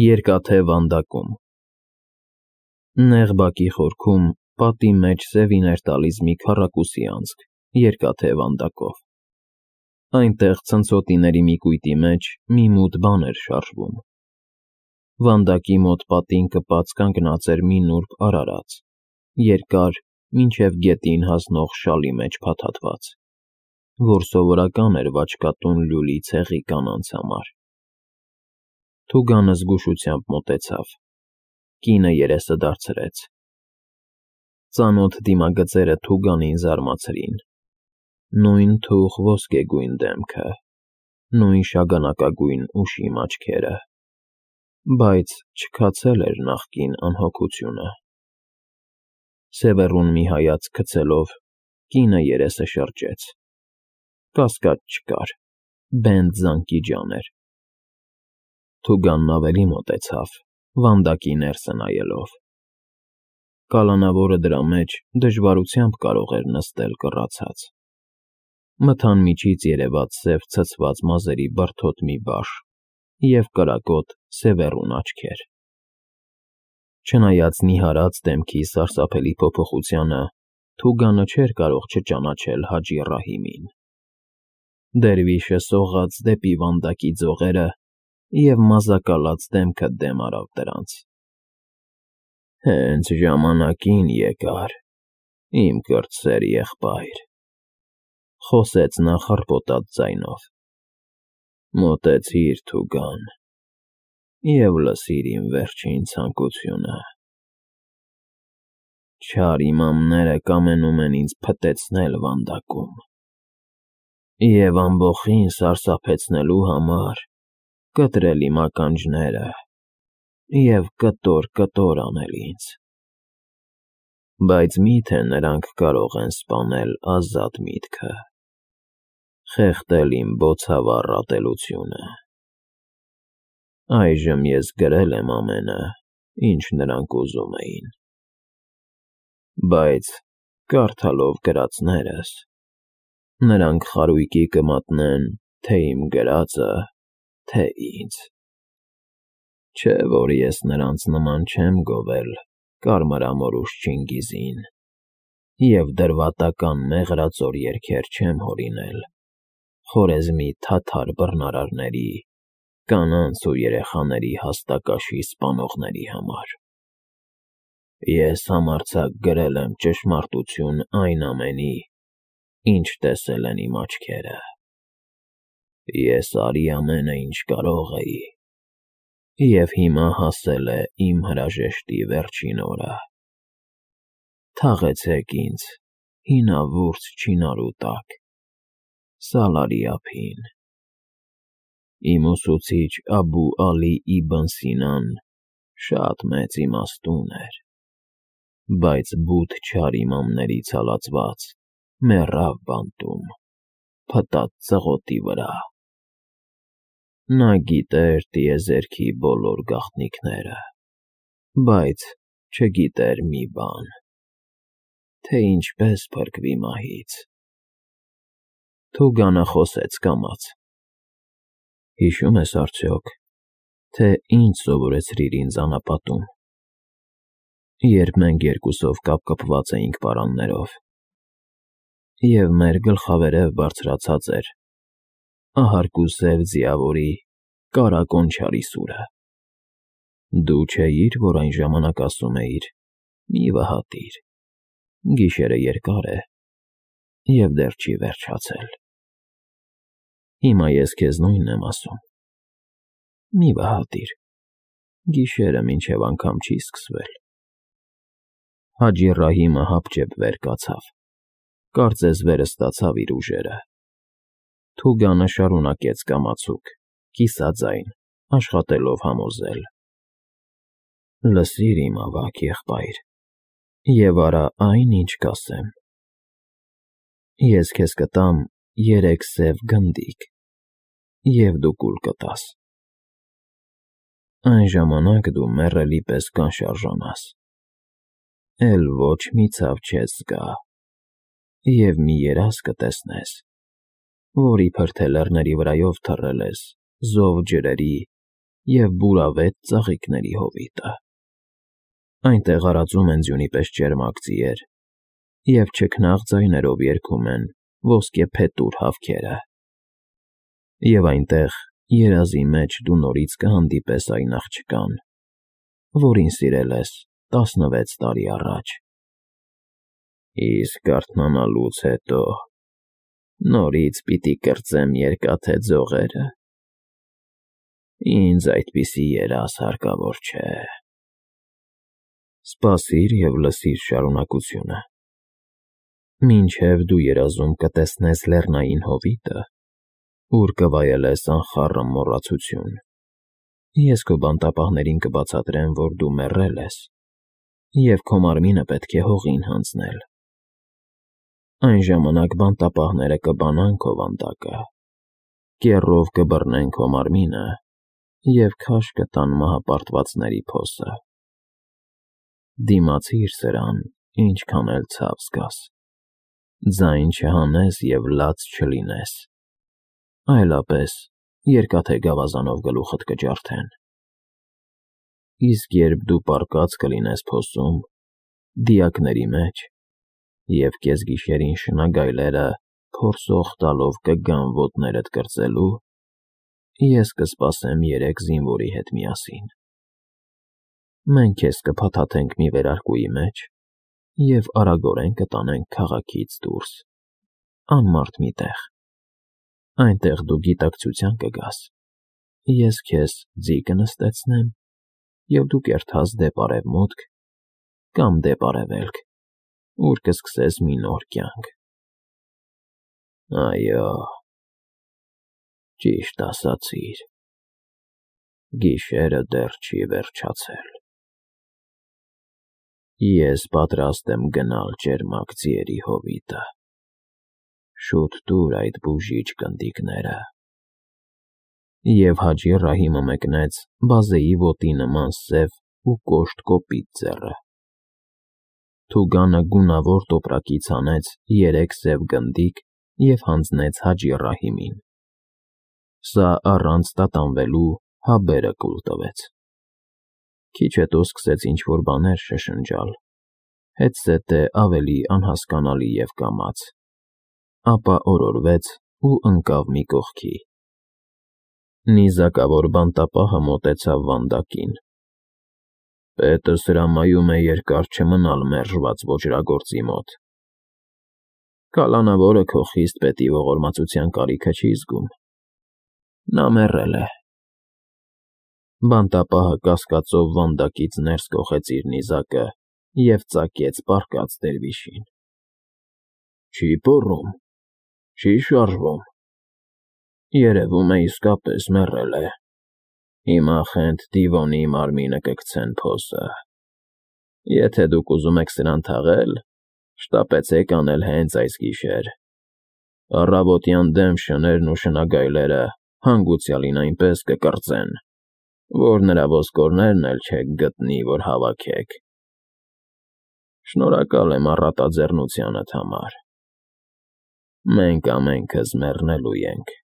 Երկաթե վանդակում Նեղ բակի խորքում պատի մեջ սևին էր տալիս մի քառակուսի անցք, երկաթե վանդակով։ Այնտեղ ցնցոտիների մի կույտի մեջ մի մութ բան էր շարժվում։ Վանդակի մոտ պատին կպած կանգնած էր մի նուրբ արարած, երկար, մինչև գետին հասնող շալի մեջ փաթաթված, որ սովորական էր վաճկատուն լյուլի ցեղի կանանց համար։ Թուգանը զգուշությամբ մոտեցավ, կինը երեսը դարձրեց։ Ծանոթ դիմագծերը Թուգանին զարմացրին, նույն թուխ ոսկեգույն դեմքը, նույն շագանակագույն ուշիմ աչքերը, բայց չքացել էր նախկին անհոգությունը։ Սևեռուն մի հայացք գցելով, կինը երեսը շրջեց։ Կասկած չկար, Բենդ զանգի ջան էր։ Թուգանն ավելի մոտեցավ, վանդակի ներսը նայելով։ Կալանավորը դրա մեջ դժվարությամբ կարող էր նստել կռացած։ Մթան միջից երևաց սև ցցված մազերի բրդոտ մի բաշ և կրակոտ սևեռուն աչքեր։ Չնայած նիհարած դեմքի սարսափելի փոփոխությանը, Թուգանը չէր կարող չճանաչել Հաջի Ռահիմին։ Դերվիշը սողաց դեպի վանդակի ձողերը և մազակալած դեմքը դեմ արավ դրանց։ Հենց ժամանակին եկար, իմ կրտսեր եղբայր, խոսեց նա խռպոտած ձայնով։ Մոտեցիր, Թուգան, և լսիր իմ վերջին ցանկությունը։ Չար իմամները կամենում են ինձ փտեցնել վանդակում, և ամբոխին սարսափեցնելու համար կտրել իմ ականջները և կտոր անել ինձ։ Բայց մի՞թե նրանք կարող են սպանել ազատ միտքը, խեղդել իմ բոցավառ ատելությունը։ Այժմ ես գրել եմ ամենը, ինչ նրանք ուզում էին, բայց կարդալով գրածներս, նրանք խարույկի կմատնեն թե իմ գրածը, թե ինձ։ Չէ՞ որ ես նրանց նման չեմ գովել կարմրամորուշ Չինգիզին և դրվատական մեղրածոր երգեր չեմ հորինել Խորեզմի թաթար բռնարարների, կանանց ու երեխաների հաստակաշի սպանողների համար։ Ես համարձակ գրել եմ ճշմարտություն այն ամենի, ինչ տեսել են իմ աչքերը։ Ես արի ամենը, ինչ կարող էի, և հիմա հասել է իմ հրաժեշտի վերջին օրը։ Թաղեցեք ինձ հինավուրց չինարու տակ, Սալարի ափին։ Իմ ուսուցիչ Աբու Ալի Իբն Սինան շատ մեծ իմաստուն էր, բայց բութ չար իմամներից հալածված մեռավ բանտում, փտած ծղոտի վրա։ Նա գիտեր տիեզերքի բոլոր գաղտնիքները, բայց չգիտեր մի բան, թե ինչպես փրկվի մահից։ Թուգանը խոսեց կամաց. Հիշո՞ւմ ես արդյոք, թե ինչ սովորեցրիր ինձ անապատում, երբ մենք երկուսով կապկպված էինք պարաններով, և մեր գլխավերև բարձրացած էր ահարկու սև ձիավորի կարակոն չարի սուրը։ Դու չէի՞ր, որ այն ժամանակ ասում էիր. «Մի վհատիր, գիշերը երկար է և դեռ չի վերջացել»։ Հիմա ես քեզ նույնն եմ ասում. մի վհատիր, գիշերը մինչև անգամ չի սկսվել։ Հաջի Ռահիմը հապճեպ վեր կացավ, կարծես վերստացավ իր ուժերը։ Թուգանը շարունակեց կամացուկ, կիսաձայն, աշխատելով համոզել. Լսիր իմ ավագ եղբայր, և արա այն, ինչ կասեմ։ Ես քեզ կտամ 3 սև գնդիկ, և դու կուլ կտաս։ Այն ժամանակ դու մեռելի պես կանշարժանաս, էլ ոչ մի ցավ չես զգա, և մի երազ կտեսնես, որ իբր թե լեռների վրայով թռել ես զով ջրերի և բուրավետ ծաղիկների հովիտը։ Այնտեղ արածում են ձյունի պես ճերմակ ձիեր, և չքնաղ ձայներով երգում են ոսկե փետուր հավքերը։ Եվ այնտեղ երազի մեջ դու նորից կհանդիպես այն աղջկան, որին սիրել ես 16 տարի առաջ։ Իսկ արթնանալուց հետո նորից պիտի կրծեմ երկաթե ձողերը։ Ինձ այդպիսի երազ հարկավոր չէ։ Սպասիր և լսիր շարունակությունը։ Մինչև դու երազում կտեսնես լեռնային հովիտը, ուր կվայելես անխառն մոռացություն, ես քո բանտապահներին կբացատրեմ, որ դու մեռել ես, և քո մարմինը պետք է հողին հանձնել։ Այն ժամանակ բանտապահները կբանան քո վանդակը, կեռով կբռնեն քո մարմինը և քաշ կտան մահապարտվածների փոսը։ Դիմացիր սրան, ինչքան էլ ցավ զգաս, ձայն չհանես և լաց չլինես, այլապես երկաթե գավազանով գլուխդ կջարդեն։ Իսկ երբ դու պառկած կլինես փոսում, դիակների մեջ, և կեսգիշերին շնագայլերը փորսող տալով կգան ոտներդ կրծելու, ես կսպասեմ 3 զինվորի հետ միասին։ Մենք քեզ կփաթաթենք մի վերարկուի մեջ և արագորեն կտանենք քաղաքից դուրս, անմարդ մի տեղ։ Այնտեղ դու գիտակցության կգաս, ես քեզ ձի կնստեցնեմ, և դու կերթաս դեպ արևմուտք կամ դեպ արևելք, ուր կսկսես մի նոր կյանք։ Այո, ճիշտ ասացիր, գիշերը դեռ չի վերջացել։ Ես պատրաստ եմ գնալ ճերմակ ձիերի հովիտը։ Շուտ տուր այդ բուժիչ կնդիկները։ Եվ Հաջի Ռահիմը մեկնեց բազեի ոտի նման սև ու կոշտ կոպիտ ձեռը։ Թուգանը գունավոր տոպրակից հանեց 3 սև գնդիկ և հանձնեց Հաջի Ռահիմին։ Սա առանց տատանվելու հաբերը կուլ տվեց։ Քիչ հետո սկսեց ինչ-որ բաներ շշնջալ, հետզհետե ավելի անհասկանալի և կամաց, ապա օրորվեց ու ընկավ մի կողքի։ Նիզակավոր բանտապահը մոտեցավ վանդակին։ Պետս հրամայում է երկար չմնալ մերժված ոճրագործի մոտ։ Կալանավորը քո խիստ պետի ողորմածության կարիքը չի զգում։ Նա մեռել է։ Բանտապահը կասկածով վանդակից ներս կոխեց իր նիզակը և ծակեց պառկած դերվիշին։ Չի պոռում, չի շարժվում։ Երևում է իսկապես մեռել է։ Հիմա Խենթ Դիվոնի մարմինը կգցեն փոսը։ Եթե դուք ուզում եք սրան թաղել, շտապեցեք անել հենց այս գիշեր։ Առավոտյան դեմ շներն ու շնագայլերը հանգուցյալին այնպես կկրծեն, որ նրա ոսկորներն էլ չեք գտնի, որ հավաքեք։ Շնորհակալ եմ առատաձեռնությանդ համար։ Մենք ամենքս մեռնելու ենք։